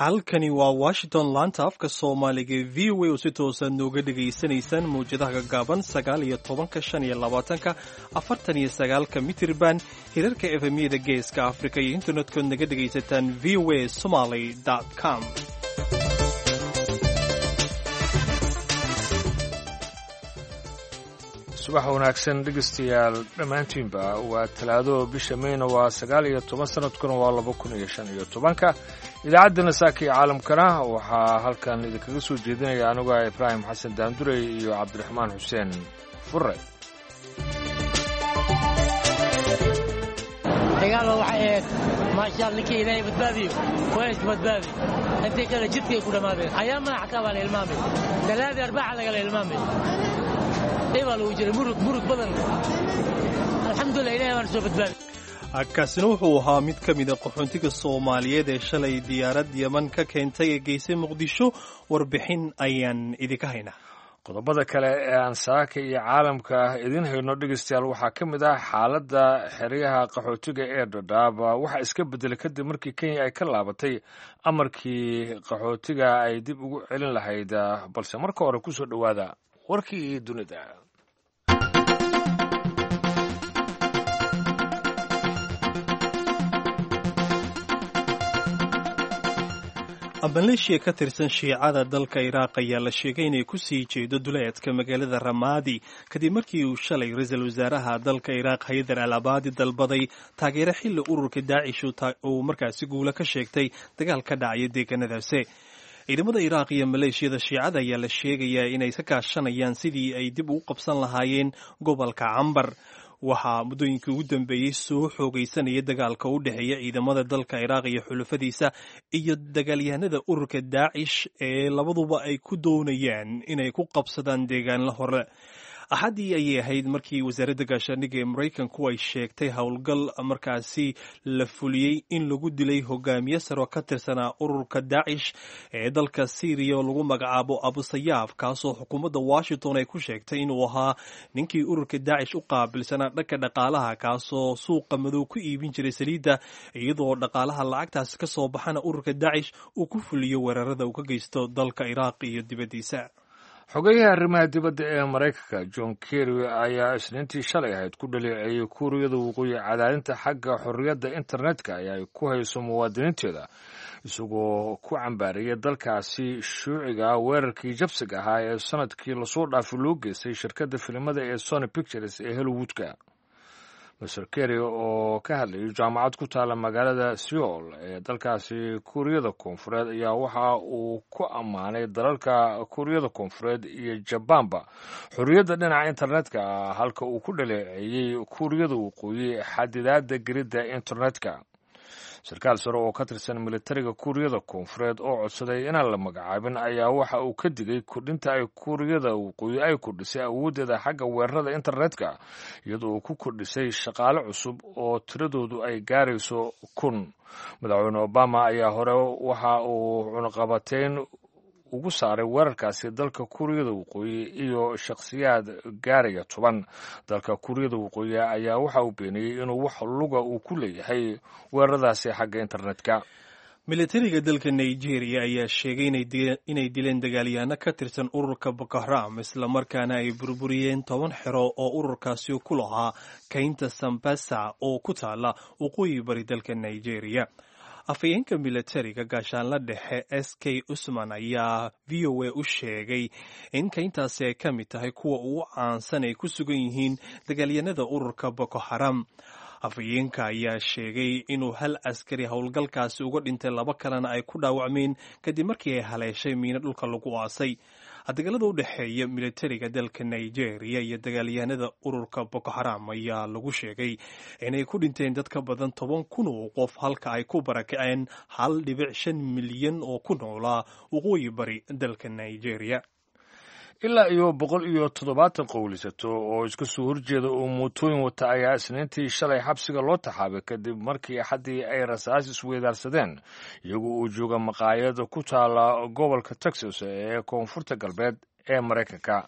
Halkani waa Washington, laanta afka Soomaaliga ee VOA, oo si toosaad nooga dhegaysanaysaan mawjadaha gaggaaban 19-ka, 25-ka, 49-ka mitirban, hirarka FM-yada Geeska Afrika iyo internetkood naga dhegaysataan voasomaly.com. Subax wanaagsan, dhegeystayaal dhammaantiinba. Waa Talaado, bisha Meyna waa 19, sanadkuna waa 2015-ka. Idaacaddana saaka iyo caalamkana waxaa halkan idinkaga soo jeedinaya anigoo ah Ibraahim Xasan Daandurey iyo Cabdiraxmaan Xuseen Fure. Dagaalo waxay ahayd maashaal, ninkii Ilaahay badbaadiyo waa iska badbaadi, intii kale jidkay ku dhammaadeen. Ayaamana xataa baa la ilmaamay, Talaadii Arbaca lagala ilmaamay, dhibaa lagu jiray, murug murug badan. Alxamdulilah, Ilahay baana soo badbaadi. Kaasina wuxuu ahaa mid ka mida qaxoontiga Soomaaliyeed ee shalay diyaarad Yeman ka keentay ee geysay Muqdisho. Warbixin ayaan idinka haynaa. Qodobada kale ee aan saaka iyo caalamka idiin hayno, dhegeystayaal, waxaa ka mid ah xaaladda xeryaha qaxootiga ee Dhadhaaba waxaa iska beddelay kadib markii Kenya ay ka laabatay amarkii qaxootiga ay dib ugu celin lahayd. Balse marka hore kusoo dhowaada warkii dunida. Maleeshiya ka tirsan Shiicada dalka Iraaq ayaa la sheegay inay ku sii jeedo duleedka magaalada Ramaadi kadib markii uu shalay ra-iisul wasaaraha dalka Iraaq Haydar al Abaadi dalbaday taageero, xilli ururka Daacish uu markaasi guula ka sheegtay dagaal ka dhacaya deegaanadaasi. Ciidamada Iraaq iyo maleeshiyada Shiicada ayaa la sheegayaa inay ka kaashanayaan sidii ay dib ugu qabsan lahaayeen gobolka Cambar. Waxaa muddooyinkii ugu dambeeyey soo xoogaysanaya dagaalka u dhexeeya ciidamada dalka Iraaq iyo xulufadiisa iyo dagaalyahanada ururka Daacish ee labaduba ay ku doonayaan inay ku qabsadaan deegaanla hore. Axaddii ayay ahayd markii wasaaradda gaashaandhigga ee Maraykanku ay sheegtay howlgal markaasi la fuliyey in lagu dilay hogaamiye saro ka tirsanaa ururka Daacish ee dalka Syriya oo lagu magacaabo Abusayaaf, kaasoo xukuumadda Washington ay ku sheegtay inuu ahaa ninkii ururka Daacish u qaabilsanaa dhanka dhaqaalaha, kaasoo suuqa madow ku iibin jiray saliidda, iyadoo dhaqaalaha lacagtaasi ka soo baxana ururka Daacish uu ku fuliyo weerarada uu ka geysto dalka Iraaq iyo dibaddiisa. Xogeyaha arrimaha dibadda ee Maraykanka John Kerry ayaa Isniintii shalay ahayd ku dhaleeceeyey Kuuriyada Waqooyi cadaadinta xagga xorriyadda internetka ee ay ku hayso muwaadiniinteeda, isagoo ku cambaariyay dalkaasi shuuciga weerarkii jabsiga ahaa ee sanadkii lasoo dhaafay loo geystay shirkadda filimada ee Sony Pictures ee Hollywoodka. Master Kerry oo ka hadlayay jaamacad ku taala magaalada Seoul ee dalkaasi Kuuriyada Koonfureed ayaa waxa uu ku ammaanay dalalka Kuuriyada Koonfureed iyo Jabaanba xorriyadda dhinaca internetka, halka uu ku dhaleeceeyey Kuuriyada Waqooyi xadidaadda gelidda internetka. Sarkaal sare oo ka tirsan militariga Kuuriyada Koonfureed oo codsaday inaan la magacaabin ayaa waxa uu ka digay kordhinta ay Kuuriyada Waqooyi ay kordhisay awooddeeda xagga weerarada internetka, iyadoo uu ku kordhisay shaqaale cusub oo tiradoodu ay gaarayso 1000. Madaxweyne Obama ayaa hore waxa uu cunaqabateyn ugu saaray weerarkaasi dalka Kuuriyada Waqooyi iyo shakhsiyaad gaaraya 10. Dalka Kuuriyada Waqooyi ayaa waxa uu beeniyey inuu wax luga uu ku leeyahay weeraradaasi xagga internetka. Militariga dalka Nigeria ayaa sheegay inay dileen dagaalyahanno ka tirsan ururka Boko Haram, islamarkaana ay burburiyeen 10 xero oo ururkaasi ku lahaa kaynta Sambasa oo ku taala waqooyi bari dalka Nigeria. Afhayeenka militariga, gaashaanla dhexe S K Usman, ayaa VOA u sheegay in kayntaasi ay ka mid tahay kuwa ugu caansan ay ku sugan yihiin dagaalyanada ururka Boko Haram. Afhayeenka ayaa sheegay inuu hal askari howlgalkaasi uga dhintay, laba kalena ay ku dhaawacmeen kadib markii ay haleeshay miino dhulka lagu aasay. Dagaalada u dhexeeya militariga dalka Nigeria iyo dagaalyahanada ururka Boko Haram ayaa lagu sheegay inay ku dhinteen dad ka badan 10,000 oo qof, halka ay ku barakaceen 1.5 milyan oo ku noolaa waqooyi bari dalka Nigeria. Ilaa iyo 170 qowlisato oo iska soo horjeeda oo mootooyin wata ayaa Isniintii shalay xabsiga loo taxaabay kadib markii Axaddii ay rasaas isweydaarsadeen iyagoo uu jooga maqaayad ku taala gobolka Texas ee koonfurta galbeed ee Maraykanka.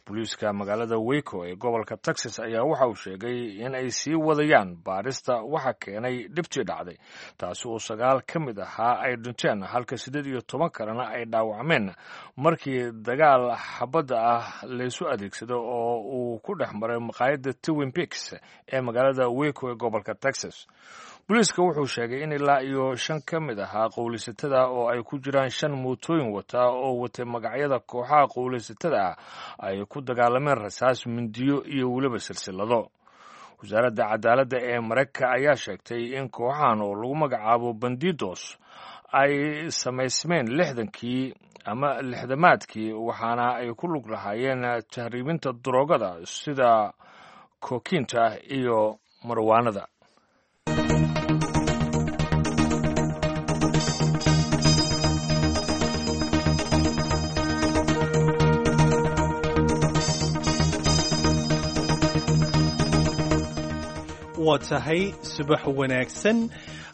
Booliiska magaalada Waco ee gobolka Texas ayaa waxa uu sheegay in ay sii wadayaan baarista waxa keenay dhibtii dhacday, taasi oo 9 ka mid ahaa ay dhinteen halka 18 kalena ay dhaawacmeen markii dagaal xabadda ah laysu adeegsado oo uu ku dhex maray maqaayadda Twin Peaks ee magaalada Waco ee gobolka Texas. Booliiska wuxuu sheegay in ilaa iyo 5 ka mid ahaa qowlaysatada oo ay ku jiraan 5 mootooyin wata oo watay magacyada kooxaha qowlaysatada ah ay ku dagaalameen rasaas, mindiyo iyo weliba silsilado. Wasaaradda cadaaladda ee Maraykanka ayaa sheegtay in kooxahan oo lagu magacaabo Bandidos ay samaysmeen 60kii ama 60maadkii, waxaana ay ku lug lahaayeen tahriibinta daroogada sida kookiinta iyo marwaanada. Waa tahay, subax wanaagsan.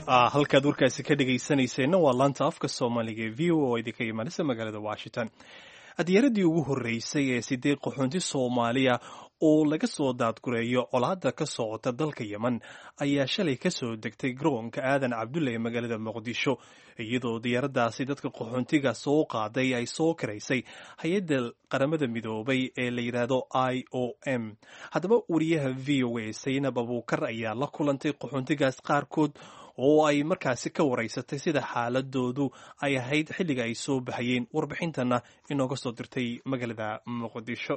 Halkaad warkaasi ka dhegaysanayseena waa laanta afka Soomaaliga ee VOA oo idinka imaanaysa magaalada Washington. Diyaaradii ugu horreysay ee 8 qaxoonti Soomaaliya oo laga soo daadgureeyo colaadda ka socota dalka Yemen ayaa shalay ka soo degtay garoonka Aadan Cabdulle ee magaalada Muqdisho, iyadoo diyaaraddaasi dadka qaxoontiga soo qaaday ay soo karaysay hay-adda Qaramada Midoobay ee la yidhaahdo IOM. Haddaba wariyaha VOA Saynab Abuukar ayaa la kulantay qaxoontigaas qaarkood oo ay markaasi ka waraysatay sida xaaladoodu ay ahayd xilliga ay soo baxayeen, warbixintana inooga soo dirtay magaalada Muqdisho.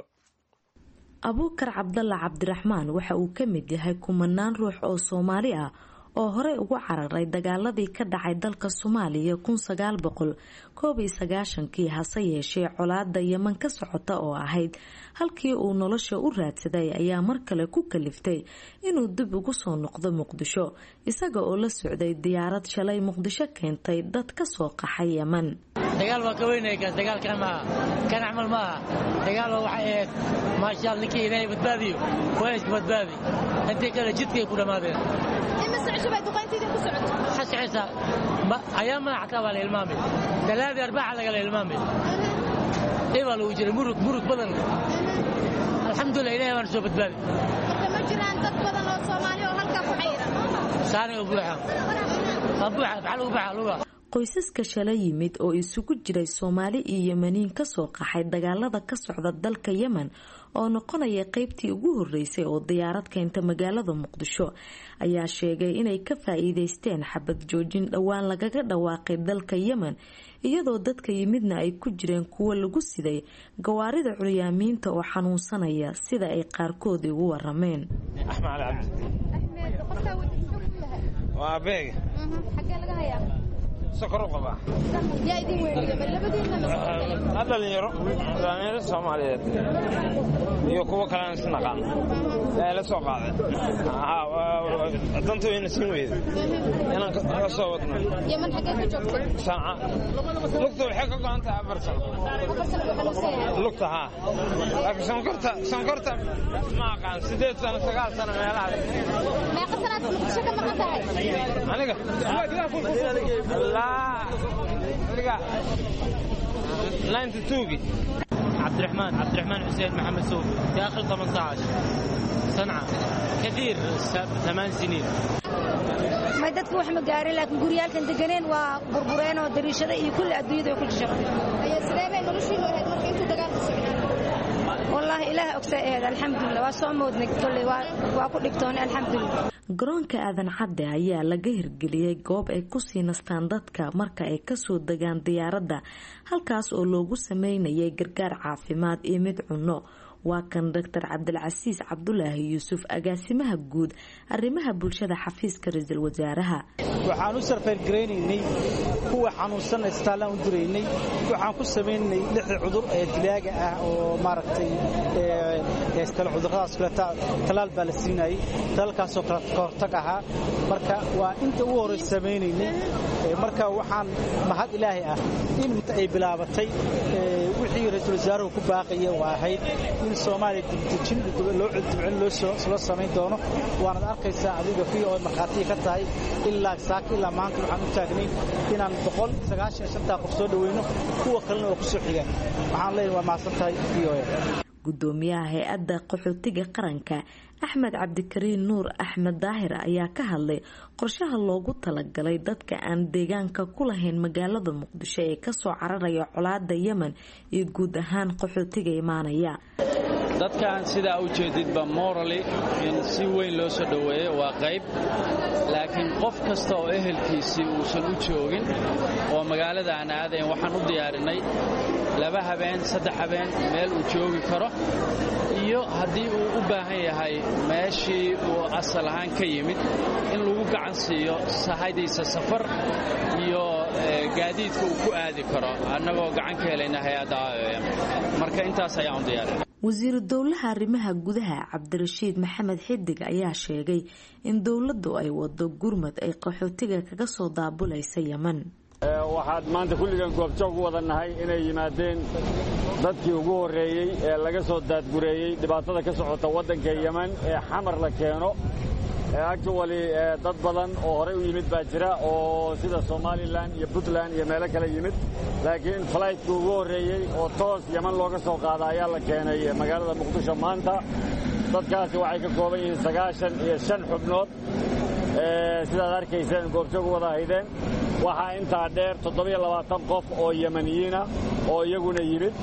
Abuukar Cabdalla Cabdiraxmaan waxa uu ka mid yahay kumanaan ruux oo Soomaali ah oo horey ugu cararay dagaaladii ka dhacay dalka Soomaaliya 1991kii, hase yeeshee colaada Yeman ka socota oo ahayd halkii uu nolosha u raadsaday ayaa mar kale ku kaliftay inuu dib ugu soo noqdo Muqdisho, isaga oo la socday diyaarad shalay Muqdisho keentay dad ka soo qaxay Yeman. Dagaal waa ka weynaya kaas, dagaalkan maaha, kan camal maaha. Dagaal waa waxay ahayd maashaal, ninkii Ilaahay badbaadiyo waa iska badbaadi, intii kale jidkay ku dhammaadeen. Waxaa socaysaa ayaamada xataa waa la ilmaamay, talaadii arbaaxa lagala ilmaamay, ibaa lagu jiray murug murug badan. Alxamdulilah, Ilahay baana soo badbaadi. Marka ma jiraan dad badan oo Soomaali oo halkaa ku xayiran? Saanay u buuxa, waa buuxa, maxaa lagu buuxa luga. Qoysaska shala yimid oo isugu jiray Soomaali iyo Yemaniin kasoo qaxay dagaalada ka socda dalka Yemen oo noqonaya qeybtii ugu horeysay oo diyaarad keenta magaalada Muqdisho ayaa sheegay inay ka faa-iideysteen xabad joojin dhowaan lagaga dhawaaqay dalka Yemen, iyadoo dadka yimidna ay ku jireen kuwo lagu siday gawaarida curyaamiinta oo xanuunsanaya, sida ay qaarkood igu warameen. Axmed Cali Cabdi. Waa abeega. Xaggee laga hayaa? Sokor u qabaa. Yaa idin weheliya? Ma labadiinna mase qof kale? Dhalinyaro, dhalinyaro Soomaaliyeed iyo kuwo kale aan is naqaan yaa ila soo qaaday. Danta wayna siin weyday inaan ka soo wadno. Yemen xaggee ku joogtay? Sanca. Lugta waxay ka go'an tahay 4 sano. 4 sano buu xanuunsan yahay? Lugta haa, laakiin sonkorta ma aqaan, 8 sano, 9 sano meelahaas. Meeqa sanaad Muqdisho ka maqan tahay? Aniga laa, aniga 92gii. عبد الرحمن، عبد الرحمن حسين محمد سوفي، داخل 18 صنعاء كثير، 8 سنين. May, dadka wax ma gaarin, laakiin guryaalkan deganeen waa burbureen oo dariishada iyo kulli adduunyada way ku jajabtay. Ayaa sidee bay noloshiinu ahayd marka intuu dagaalku socday? Wallaahi Ilaah ogsaa ahayd, alxamdulilah, waa soo moodnay kolley, waa ku dhibtoonay, alxamdulilah. Garoonka Aadan Cadde ayaa laga hirgeliyey goob ay kusii nastaan dadka marka ay kasoo degaan diyaaradda, halkaas oo loogu sameynayay gargaar caafimaad iyo mid cunno. Waa kan Doctor Cabdilcasiis Cabdulaahi Yuusuf, agaasimaha guud arrimaha bulshada xafiiska ra-iisul wasaaraha. Waxaan u sarfayrgaraynaynay kuwa xanuunsanna isbitaallaan u diraynay. Waxaan ku samaynay lixda cudur ee dilaaga ah oo maaragtay kale cudurradaas kale talaal baa la siinayay, talaalkaasoo kale ka hortag ahaa. Marka waa inta ugu horraysa samaynaynay. Marka waxaan mahad Ilaahay ah in ay bilaabatay wixii ra-iisul wasaaruhu ku baaqaya oo ahayd in Soomaaliya dibdejin loo dibcin loo samayn doono. Waanad arkaysaa adiga fi oo markhaatiga ka tahay, ilaa saaka ilaa maanta waxaan u taagnay inaan 195-ta qof soo dhaweyno, kuwa kalena oo ku soo xigaan. Waxaan leeyahay waa mahadsan tahay VOA. Gudoomiyaha hay-adda qaxootiga qaranka Axmed Cabdikariin Nuur Axmed Daahir ayaa ka hadlay qorshaha loogu talagalay dadka aan deegaanka ku lahayn magaalada Muqdisho ee kasoo cararaya colaada Yemen iyo guud ahaan qaxootiga imaanaya. Dadkan sidaa u jeedidba morally in si weyn loo soo dhoweeyo waa qayb, laakiin qof kasta oo ehelkiisii uusan u joogin oo magaalada aan aadayn waxaan u diyaarinay 2 habeen 3 habeen meel uu joogi karo, iyo haddii uu u baahan yahay meeshii uu asal ahaan ka yimid in lagu gacan siiyo sahaydiisa safar iyo gaadiidka uu ku aadi karo, annagoo gacan ka helayna hay-adda IOM. Marka intaas ayaan u diyaarinay. Wasiiru dowlaha arrimaha gudaha Cabdirashiid Maxamed Xidig ayaa sheegay in dowladdu ay wado gurmad ay qaxootiga kaga soo daabulaysa Yemen. Waxaad maanta kulligan goobjoog u wada nahay inay yimaadeen dadkii ugu horreeyey ee laga soo daadgureeyey dhibaatada ka socota waddanka Yemen ee Xamar la keeno. Actually dad badan oo horey u yimid baa jira oo sida Somalilan iyo Puntland iyo meelo kale yimid, laakiin flightki ugu horreeyey oo toos Yemen looga soo qaada ayaa la keenay magaalada Muqdisho maanta. Dadkaasi waxay ka kooban yihiin 95 xubnood, sidaad arkayseen goobjoog u wada haydeen. Waxaa intaa dheer 27 qof oo Yemeniyiina oo iyaguna yimid.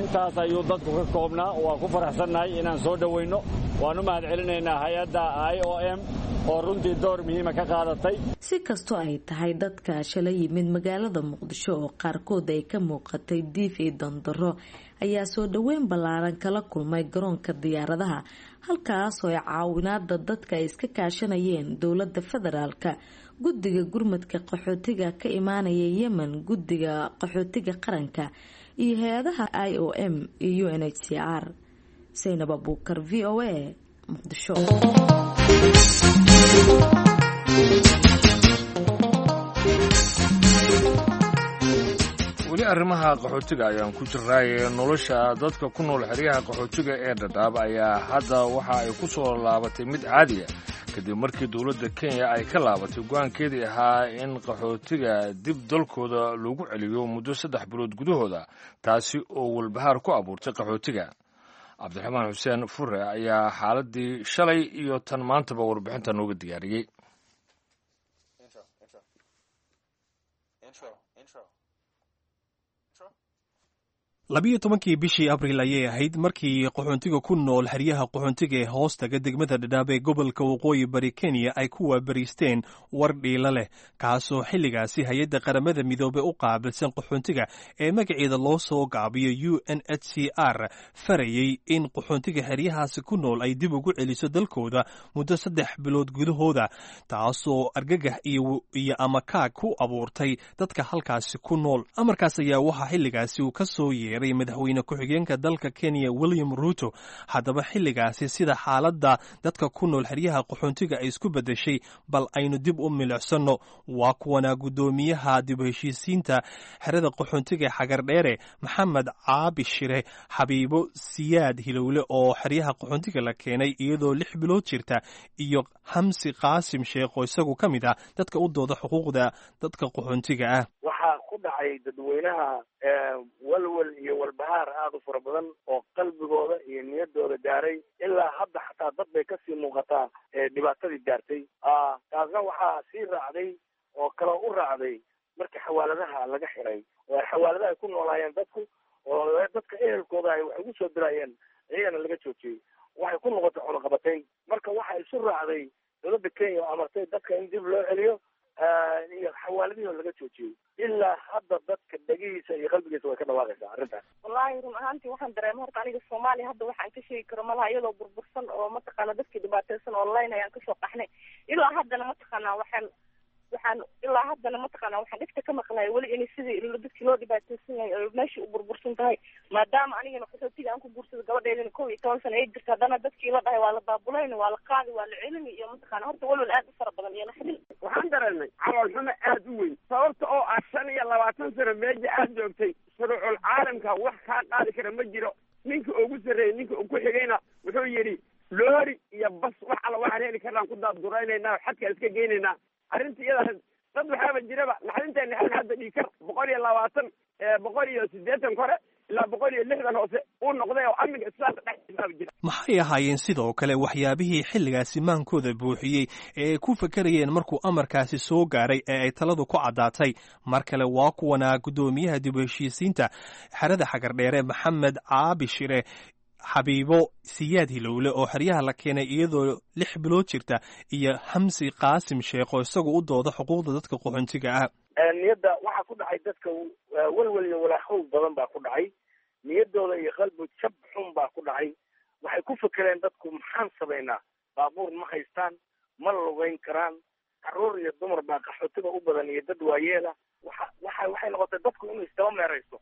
Intaas ayuu dadku ka koobnaa. Waa ku faraxsannahay inaan soo dhowayno. Waan u mahad celinaynaa hay-adda IOM oo runtii door muhiima ka qaadatay. Si kastoo ay tahay, dadka shalay yimid magaalada Muqdisho oo qaarkood ay ka muuqatay diif iyo dandaro ayaa soo dhoweyn ballaaran kala kulmay garoonka diyaaradaha, halkaasoo ay caawinaada dadka ay iska kaashanayeen dowladda federaalka, guddiga gurmadka qaxootiga ka imaanaya Yemen, guddiga qaxootiga qaranka iyo hay-adaha IOM iyo UNHCR. Saynab Abuukar, VOA, Muqdisho. Weli arrimaha qaxootiga ayaan ku jirnaaye. Nolosha dadka ku nool xeryaha qaxootiga ee Dhadhaab ayaa hadda waxa ay ku soo laabatay mid caadiya kadib markii dowladda Kenya ay ka laabatay go-aankeedii ahaa in qaxootiga dib dalkooda lagu celiyo muddo 3 bilood gudahooda, taasi oo walbahaar ku abuurtay qaxootiga. Cabdiraxmaan Xuseen Fure ayaa xaaladii shalay iyo tan maantaba warbixinta nooga diyaariyey. Labiyo tobankii bishii Abriil ayay ahayd markii qaxoontiga ku nool xeryaha qaxoontiga ee hoostaga degmada Dhadhaab ee gobolka Waqooyi Bari Kenya ay ku waabariisteen war dhiila leh, kaasoo xilligaasi hay-adda Qaramada Midoobey u qaabilsan qaxoontiga ee magaceeda loo soo gaabiyo UNHCR farayey in qaxoontiga xeryahaasi ku nool ay dib ugu celiso dalkooda muddo 3 bilood gudahooda, taasoo argagax iyo amakaag ku abuurtay dadka halkaasi ku nool. Amarkaas ayaa waxaa xilligaasi uu ka soo yeeray madaxweyne ku-xigeenka dalka Kenya William Ruto. Haddaba xilligaasi sida xaaladda dadka ku nool xeryaha qaxoontiga ay isku beddeshay bal aynu dib u milicsanno. Waa kuwanaa guddoomiyaha dib u heshiisiinta xerada qaxoontiga Xagardheere Maxamed Caabi Shire, Xabiibo Siyaad Hilowle oo xeryaha qaxoontiga la keenay iyadoo 6 bilood jirta, iyo Hamsi Qaasim Sheekh oo isagu ka mid ah dadka u dooda xuquuqda dadka qaxoontiga ah. Waxaa ku dhacay dadweynaha walwal iyo walbahaar aada u fara badan oo qalbigooda iyo niyaddooda gaaray. Ilaa hadda xataa dad bay kasii muuqataa dhibaatadii gaartay. Taasna waxaa sii raacday oo kaloo u raacday marka xawaaladaha laga xiray oo xawaaladaha ay ku noolaayeen dadku oo dadka ehelkooda ay wax ugu soo dirayeen, iyagana laga joojiyey. Waxay ku noqotay cunaqabatayn. Marka waxaa isu raacday dowladda Kenya oo amartay dadka in dib loo celiyo iyo xawaaladihii oo laga joojiyey. Ilaa hadda dadka dhegihiisa iyo qalbigiisa way ka dhawaaqaysaa arrintaas. Wallaahi run ahaantii waxaan dareema horta aniga Soomaaliya hadda waxaan ka sheegi karo malaha, iyadoo burbursan oo mataqaana dadkii dhibaataysan online ayaan kasoo qaxnay. Ilaa haddana mataqaanaa waxaan ilaa haddana mataqaanaa waxaan dhegta ka maqlaya weli inay sidii dadkii loo dhibaataysan yahay oo meeshii u burbursan tahay, maadaama anigana qaxootiga aan ku guursado gabadheydana 11 sano ay jirto, haddana dadkii la dhahay waa la baabulayna, waa la qaadi, waa la celini iyo mataqaana horta walwal aad u fara badan iyo naxdin. Waxaan dareemay calool xumo aad u weyn, sababta oo ah 25 sano meesha aad joogtay shuruucul caalamka wax kaa qaadi kara ma jiro. Ninka ugu sarreeyey ninka ugu xigayna wuxuu yidhi loori iyo bas wax alla waxaan heli karnaan ku daadguraynaynaa, xadkaan iska geynaynaa. Arrinta iyada dad waxaaba jiraba naxdinta naxdin hadda dhiikar 120, 180 kore ilaa 160 hoose uu u noqday oo amniga islaamka dhexdiisaaba jira. Maxay ahaayeen sidoo kale waxyaabihii xilligaasi maankooda buuxiyey ee ay ku fekerayeen markuu amarkaasi soo gaaray ee ay taladu ku caddaatay? Mar kale waa kuwanaa guddoomiyaha dib u heshiisiinta xerada Xagardheere, Maxamed Caabi Shire, Xabiibo Siyaad Hilowle oo xeryaha la keenay iyadoo 6 bilood jirta, iyo Xamsi Qaasim Sheekh oo isagu u dooda xuquuqda dadka qaxoontiga ah. Niyadda waxaa ku dhacay dadka welwel iyo walaahow badan baa ku dhacay niyaddooda, iyo qalbi jab xun baa ku dhacay. Waxay ku fekereen dadku, maxaan samaynaa? Baabuur ma haystaan, ma lugeyn karaan, carruur iyo dumar baa qaxootiga u badan iyo dad waayeela. Waxa waxa waxay noqotay dadku inuu isdaba meeraysto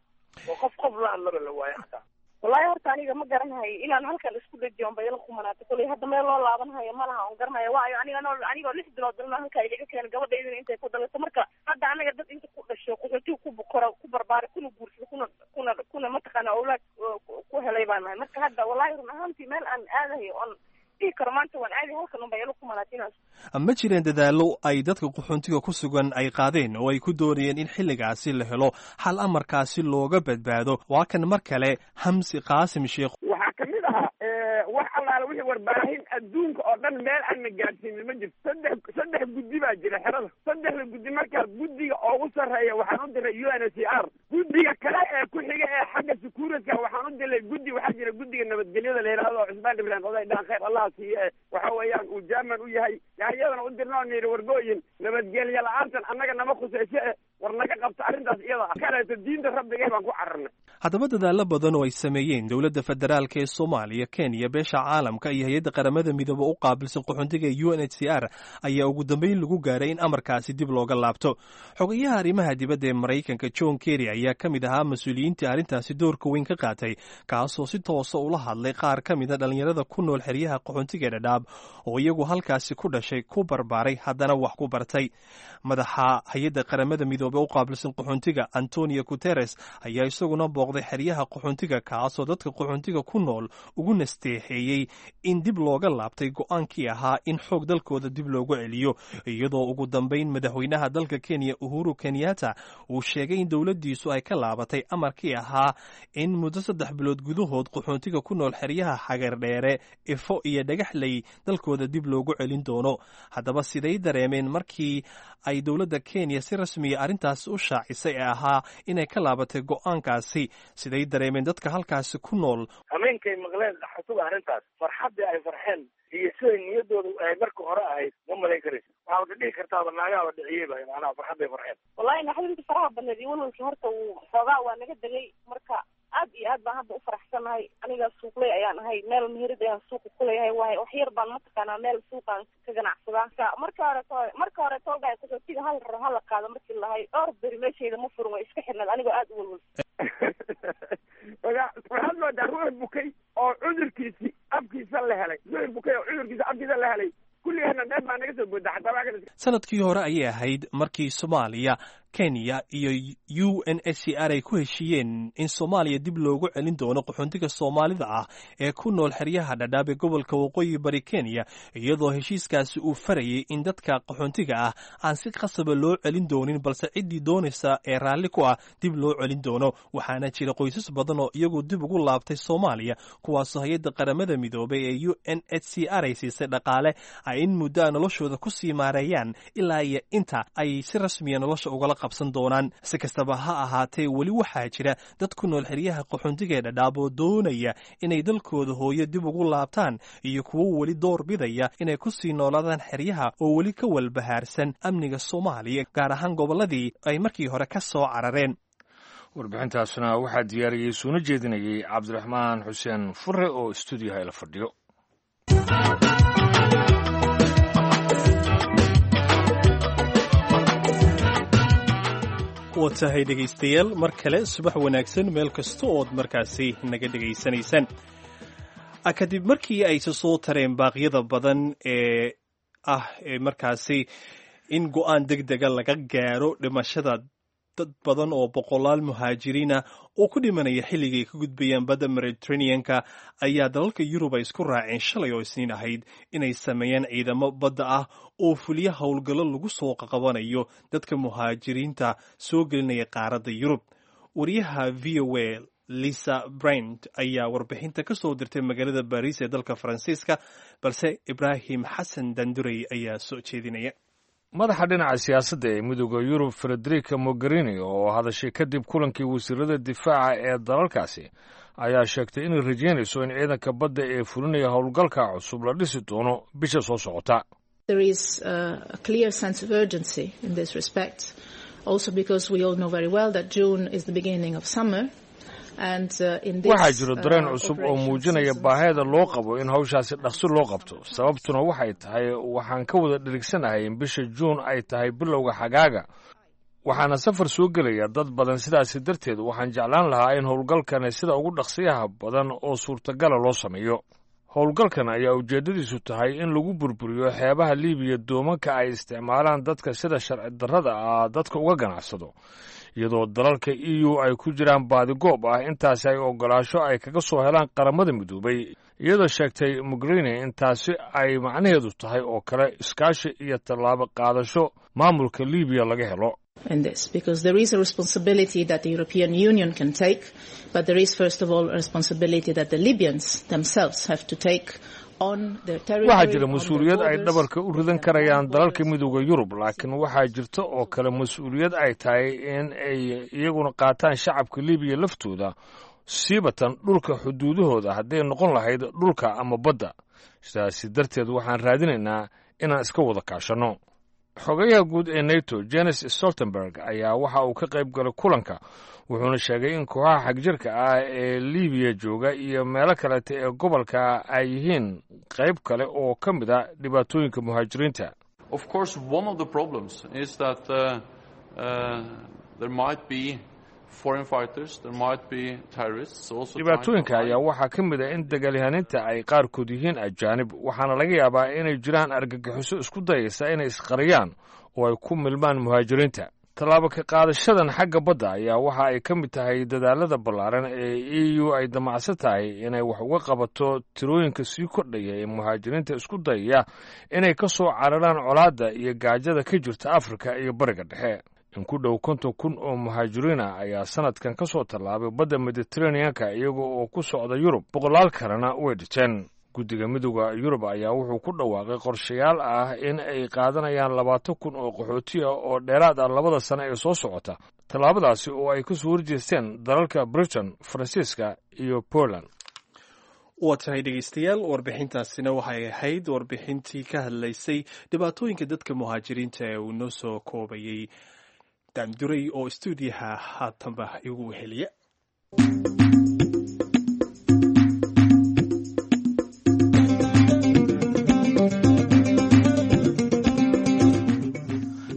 oo qof qof la hadlaba la waayo xataa. Wallaahi horta aniga ma garanayo inaan halkan isku dhajiyo unba ila qumanaatay. Koley hadda meel loo laabanhayo ma laha, on garanayo waayo aniga noo anigoo 6 bilood dalna halkaa igaga keenay, gabadhaydina intay ku dhalato. Marka hadda anaga dad inta ku dhasho, qaxootiga ku bukora, ku barbaaray, kuna guursada, kuna mataqaana awlaad ku helay baan nahay. Marka hadda wallahi run ahaantii meel aan aadahayo oon dhihi karo maanta waan aadi halkan unba ila qumanaatay inaan Ma jireen dadaallo ay dadka qaxoontiga ku sugan ay qaadeen oo ay ku doonayeen in xilligaasi la helo xal amarkaasi looga badbaado? Waa kan mar kale Xamsi Qaasim Sheekh. Waxaa kamid ahaa wax allaala wixii warbaahin adduunka oo dhan meel aan na gaadhsiinin ma jirto. Saddex guddi baa jira xerada. Saddexda guddi markaa, guddiga ugu sarreeya waxaan u diray UNHCR. Guddiga kale ee ku xiga ee xagga security waxaan u diray guddi. Waxaa jira guddiga nabadgelyada la yidhahdo oo Cusmaan Ibrahim oday dhaan, khayr Allaha siiye, waxa weeyaan uu jaaman u yahay. Yaa iyadana u dirna oo nidhi, wargooyin nabadgelya la-aantan annaga nama khusayso e war naga qabto arrintaas iyada ah. Kaleeto diinta rabbigay baan ku cararnay. Haddaba dadaallo badan oo ay sameeyeen dowladda federaalka ee Soomaaliya, Kenya, beesha caalamka iyo hay-adda Qaramada Midoobe u qaabilsan qaxoontiga UNHCR ayaa ugu dambeyn lagu gaaray in amarkaasi dib looga laabto. Xogayaha arrimaha dibadda ee Maraykanka, John Kerry, ayaa ka mid ahaa mas-uuliyiintii arrintaasi doorka weyn ka qaatay, kaasoo si toosa ula hadlay qaar ka mida dhallinyarada ku nool xeryaha qaxoontiga ee Dhadhaab oo iyagu halkaasi ku dhashay, ku barbaaray, haddana wax ku bartay. Madaxa hay-adda Qaramada Midoobe u qaabilsan qaxoontiga, Antonio Guterres, ayaa isaguna booqday xeryaha qaxoontiga, kaasoo dadka qaxoontiga ku nool ugu nasteexeeyey in dib looga laabtay go'aankii ahaa in xoog dalkooda dib loogu celiyo, iyadoo ugu dambayn madaxweynaha dalka Kenya, Uhuru Kenyatta, uu sheegay in dowladdiisu ay ka laabatay amarkii ahaa in muddo 3 bilood gudahood qaxoontiga ku nool xeryaha Xagardheere, Ifo iyo Dhagaxley dalkooda dib loogu celin doono. Haddaba siday dareemeen markii ay dowladda Kenya si rasmiya arrintaas u shaacisay ee ahaa inay ka laabatay go'aankaasi? Siday dareemeen dadka halkaasi ku nool? Hameenkay maqleen qaxootiga arrintaas, farxaddii ay farxeen iyo siday niyaddooda ay marka hore ahayd ma malayn karaysa. Waxaad dhihi kartaaba naagaaba dhiciyeyba, macnaha farxadday farxeen. Wallahi naxdinta faraha badneed iyo walwalkii horta wuu xoogaa waa naga degay. Marka aad iyo aad baan hadda u faraxsanahay. Aniga suuqley ayaan ahay, meel meherad ayaan suuqa kuleeyahay, waay wax yar baan mataqaanaa meel suuqaan ka ganacsadaa. Marka hore tolgaay qaxootiga hal raro hala qaado markii lahay, dhowr beri meeshayda ma furin, way iska xirnayd anigoo aad u walwal. Waxaad moodaa ruux bukay oo cudurkiisi afkiisa la helay, ruux bukay oo cudurkiisa afkiisa la helay. Kulligeena dheer baa naga soo booda xataa waa kale. Sanadkii hore ayay ahayd markii Soomaaliya, Kenya iyo UNHCR ay ku heshiiyeen in Soomaaliya dib loogu celin doono qaxoontiga Soomaalida ah ee ku nool xeryaha Dhadhaab ee gobolka Waqooyi Bari Kenya, iyadoo heshiiskaasi uu farayay in dadka qaxoontiga ah aan si qasaba loo celin doonin, balse ciddii doonaysa ee raalli ku ah dib loo celin doono. Waxaana jira qoysas badan oo iyagu dib ugu laabtay Soomaaliya, kuwaasoo hay-adda Qaramada Midoobay ee UNHCR ay siisay dhaqaale ay in muddo a noloshooda ku sii maareeyaan ilaa iyo inta ay si rasmiya nolosha ugala qabsan doonaan. Si kastaba ha ahaatee, weli waxaa jira dad ku nool xeryaha qaxoontiga ee Dhadhaab oo doonaya inay dalkooda hooyo dib ugu laabtaan iyo kuwo weli door bidaya inay ku sii noolaadaan xeryaha oo weli ka walbahaarsan amniga Soomaaliya, gaar ahaan gobolladii ay markii hore ka soo carareen. Warbixintaasna waxaa diyaariyey suuna jeedinayey Cabdiraxmaan Xuseen Fure oo stuudiyaha ila fadhiyo. Wa tahay dhegaystayaal, mar kale subax wanaagsan meel kasta ood markaasi naga dhegaysanaysaan. Kadib markii ay isa soo tareen baaqyada badan ee ah ee markaasi in go'aan deg dega laga gaaro dhimashada dad badan oo boqolaal muhaajiriina oo ku dhimanaya xilligay ka gudbayaan badda Mediterraneanka, ayaa dalalka Yurub ay isku raaceen shalay oo Isniin ahayd inay sameeyaan ciidamo badda ah oo fuliya howlgallo lagu soo qaqabanayo dadka muhaajiriinta soo gelinaya qaaradda Yurub. Wariyaha VOA, Lisa Bryant ayaa warbixinta ka soo dirtay magaalada Baariis ee dalka Faransiiska, balse Ibraahim Xasan Dandurey ayaa soo jeedinaya. Madaxa dhinaca siyaasadda ee Midooda Yurub, Frederica Mogherini, oo hadashay kadib kulankii wasiirada difaaca ee dalalkaasi, ayaa sheegtay inay rajaynayso in ciidanka badda ee fulinaya howlgalka cusub la dhisi doono bisha soo socota. There is a clear sense of urgency in this respect, also because we all know very well that June is the beginning of summer. Waxaa jiro dareen cusub oo muujinaya baahida loo qabo in hawshaasi dhaqso loo qabto. Sababtuna waxay tahay waxaan ka wada dhirigsanahay in bisha Juun ay tahay bilowga xagaaga, waxaana safar soo gelaya dad badan. Sidaasi darteed waxaan jeclaan lahaa in howlgalkani sida ugu dhaqsiyaha badan oo suurtagala loo sameeyo. Howlgalkan ayaa ujeeddadiisu tahay in lagu burburiyo xeebaha Liibiya doomanka ay isticmaalaan dadka sida sharci darrada ah dadka uga ganacsado, iyadoo dalalka EU ay ku jiraan baadigoob ah intaasi ay ogolaasho ay kaga soo helaan Qaramada Midoobay, iyadoo sheegtay Mogherini in taasi ay macnaheedu tahay oo kale iskaashi iyo tallaabo qaadasho maamulka Liibiya laga helo. In this, because there is a responsibility that the European Union can take, but there is first of all a responsibility that the Libyans themselves have to take on their territory. Waxaa jira mas-uuliyad ay dhabarka u ridan karayaan dalalka Midooda Yurub, laakiin waxaa jirta oo kale mas-uuliyad ay tahay in ay iyaguna qaataan shacabka Libiya laftooda, siibatan dhulka xuduudahooda, hadday noqon lahayd dhulka ama badda. Sidaasi darteed waxaan raadinaynaa inaan iska wada kaashanno. Xogayaha guud ee NATO, Jenes Stoltenberg, ayaa waxa uu ka qayb galay kulanka, wuxuuna sheegay in kooxaha xagjirka ah ee Libiya jooga iyo meelo kaleeta ee gobolka ay yihiin qayb kale oo ka mid a dhibaatooyinka muhaajiriinta. Of course, one of the problems is that there might be foreign fighters, there might be terrorists also trying to Dhibaatooyinka ayaa waxaa ka mid ah in dagaalyahaninta ay qaarkood yihiin ajaanib, waxaana laga yaabaa inay jiraan argagixiso isku dayaysa inay isqariyaan oo ay ku milmaan muhaajiriinta. Tallaabo ka qaadashadan xagga badda ayaa waxa ay ka mid tahay dadaalada ballaaran ee EU ay damacsan tahay inay wax uga qabato tirooyinka sii kordhaya ee muhaajiriinta isku dayaya inay ka soo cararaan colaadda iyo gaajada ka jirta Afrika iyo Bariga Dhexe. In ku dhow 50,000 oo muhaajiriin ah ayaa sanadkan ka soo tallaabay badda Mediteraneanka iyaga oo ku socda Yurub, boqolaal kalena way dhinteen. Guddiga Midooda Yurub ayaa wuxuu ku dhawaaqay qorshayaal ah in ay qaadanayaan 20,000 oo qaxooti ah oo dheeraad ah 2da sano ee soo socota, tallaabadaasi oo ay kasoo horjeesteen dalalka Britain, Faransiiska iyo Poland. Waa tahay dhegeystayaal, warbixintaasina waxay ahayd warbixintii ka hadlaysay dhibaatooyinka dadka muhaajiriinta ee uu noo soo koobayay Daanduray oo stuudiyaha haatanba igu weheliya.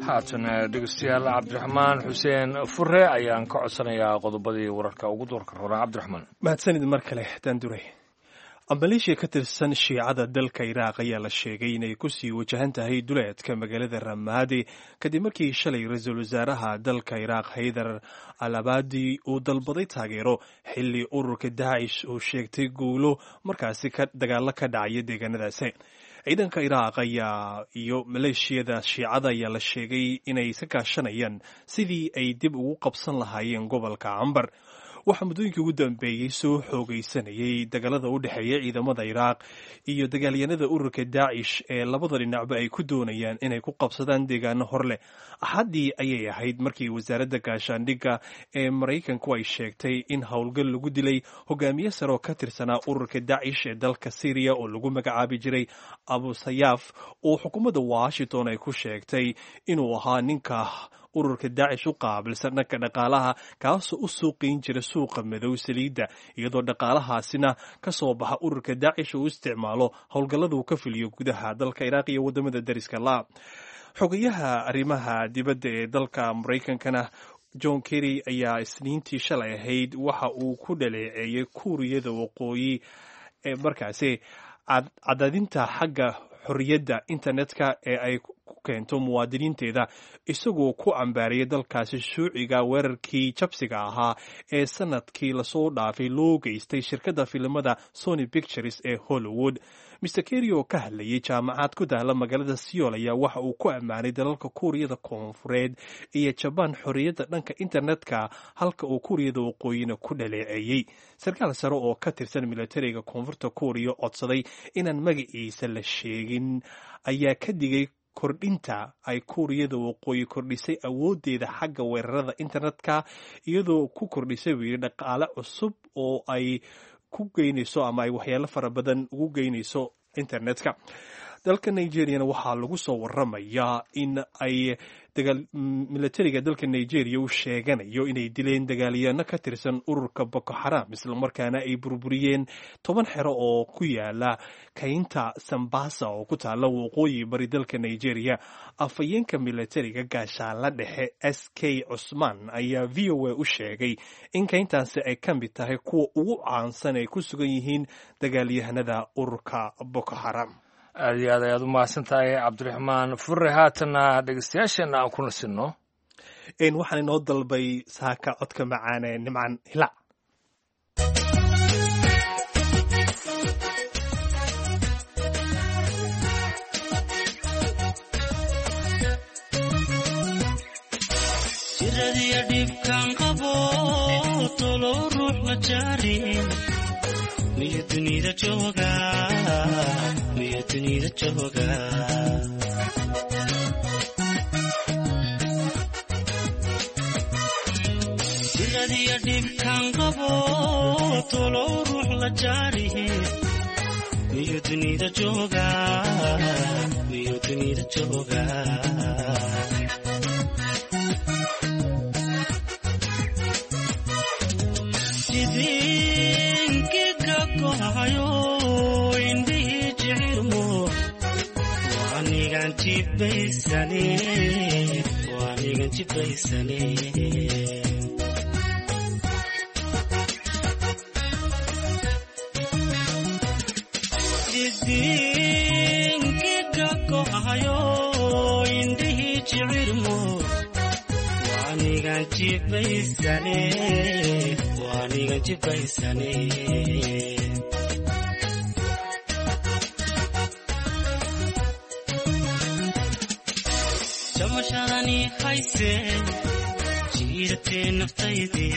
Haatan dhegeystayaal, Cabdiraxmaan Xuseen Fure ayaan ka codsanayaa qodobadii wararka ugu doorka roraa. Cabdiraxmaan. Mahadsanid mar kale, Daanduray. Maleeshiya ka tirsan Shiicada dalka Iraaq ayaa la sheegay inay kusii wajahan tahay duleedka magaalada Ramaadi kadib markii shalay ra-iisul wasaaraha dalka Iraaq, Haydar Al Abadi, uu dalbaday taageero, xilli ururka Daacish uu sheegtay guulo markaasi ka dagaalo ka dhacaya deegaanadaasi. Ciidanka Iraaq ayaa iyo maleeshiyada Shiicada ayaa la sheegay inay iska kaashanayaan sidii ay dib ugu qabsan lahaayeen gobolka Cambar. Waxaa muddooyinkii ugu dambeeyey soo xoogaysanayay dagaalada u dhexeeya ciidamada Iraaq iyo dagaalyanada ururka Daacish ee labada dhinacba ay ku doonayaan inay ku qabsadaan deegaano hor leh. Axaddii ayay ahayd markii wasaaradda gaashaandhigga ee Maraykanku ay sheegtay in howlgal lagu dilay hogaamiye sare oo ka tirsanaa ururka Daacish ee dalka Syriya oo lagu magacaabi jiray Abu Sayaaf, oo xukuumadda Washington ay ku sheegtay inuu ahaa ninka ururka Daacish u qaabilsan dhanka dhaqaalaha, kaasoo u suuqayn jira suuqa madow saliidda, iyadoo dhaqaalahaasina ka soo baxa ururka Daacish uu isticmaalo howlgallada uu ka fuliyo gudaha dalka Iraaq iyo waddamada dariska la. Xogayaha arrimaha dibadda ee dalka Maraykankana, John Kerry, ayaa Isniintii shalay ahayd waxa uu ku dhaleeceeyey Kuuriyada Waqooyi ee markaasi cadaadinta xagga xorriyadda internetka ee ay ku keento muwaadiniinteeda, isagoo ku cambaariyay dalkaasi shuuciga weerarkii jabsiga ahaa ee sanadkii lasoo dhaafay loo geystay shirkadda filimada Sony Pictures ee Hollywood. Mr Kerry oo ka hadlayay jaamacad ku taala magaalada Seoul ayaa waxa uu ku ammaanay dalalka Kuuriyada Koonfureed iyo Jabaan xorriyadda dhanka internetka, halka uu Kuuriyada Waqooyina ku dhaleeceeyey. Sarkaal sare oo ka tirsan militariga Koonfurta Kuuriya codsaday inaan magaciisa la sheegin ayaa ka digay kordhinta ay Kuuriyada Waqooyi kordhisay awooddeeda xagga weerarada internetka, iyadoo ku kordhisay buu yidhi dhaqaale cusub oo ay ku geynayso ama ay waxyaalo fara badan ugu geynayso internetka. Dalka Nigeriana waxaa lagu soo waramayaa in ay militariga dalka Nigeria u sheeganayo inay dileen dagaalyaano ka tirsan ururka Boko Xaram, islamarkaana ay burburiyeen 10 xero oo ku yaala kaynta Sambasa oo ku taala waqooyi bari dalka Nigeria. Afhayeenka militariga gaashaala dhexe S K Cusmaan ayaa VOA u sheegay in kayntaasi ay ka mid tahay kuwa ugu caansan ay ku sugan yihiin dagaalyahanada ururka Boko Xaram. Aad iyo aad ayaad u mahadsan tahay, Cabdiraxmaan Fure. Haatanna dhegeystayaasheenna aan ku nasinno. Waxaan inoo dalbay saaka codka macaane Nimcan Hilaac. Jiradiya dhibkan qabo tolo ruux la jaarin, miyo dunida jooga, miyo dunida jooga? Jiradiya dhibkan qabo tolo ruux la jaarihin, miyo dunida jooga, miyo dunida jooga? Jidinkiga gohayo indhihii jicirmo, waanigan jibaysane, waanigan jibaysane. Jidinkiga gohayo indhihii jicirmo, waanigan jibaysane, waanigan jibaysane. Jamashadani hayse jiiratee naftayde,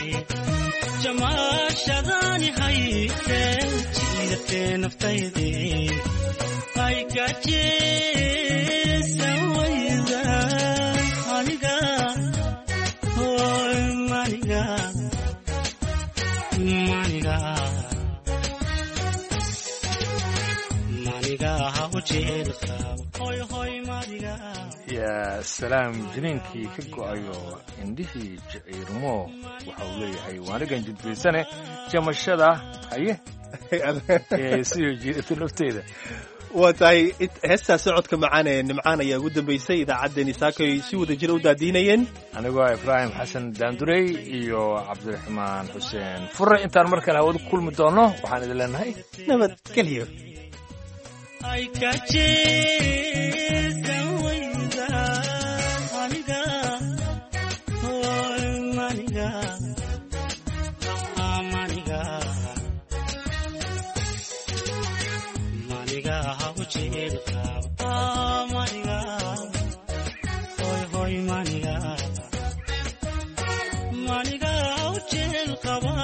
jamashadani hayse jiiratee naftayde, ay kajeesan wayda aniga, oy maniga, maniga, maniga hawjeelka, hoy hoy maniga. Yaa salaam, jiniinkii ka go'ayo indhihii jiciirmo, waxa uu leeyahay waanigan jidbaysane jamashada haye ee siyo jiirata nafteyda. Waa tahay, heestaasi codka macaan ee Nimcaan ayaa ugu dambeysay idaacaddeenii saakay si wada jira u daadiinayeen anigoo Ibraahim Xasan Daandurey iyo Cabdiraxmaan Xuseen Fure. Intaan mar kale hawada ku kulmi doonno, waxaan idin leenahay nabadgelyo. Ay kajeesan wayda aniga, oy maniga, maniga, maniga hawjeelka, maniga, hoy hoy maniga, maniga hawjeel qaba.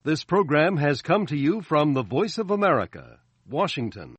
This program has come to you from the Voice of America, Washington.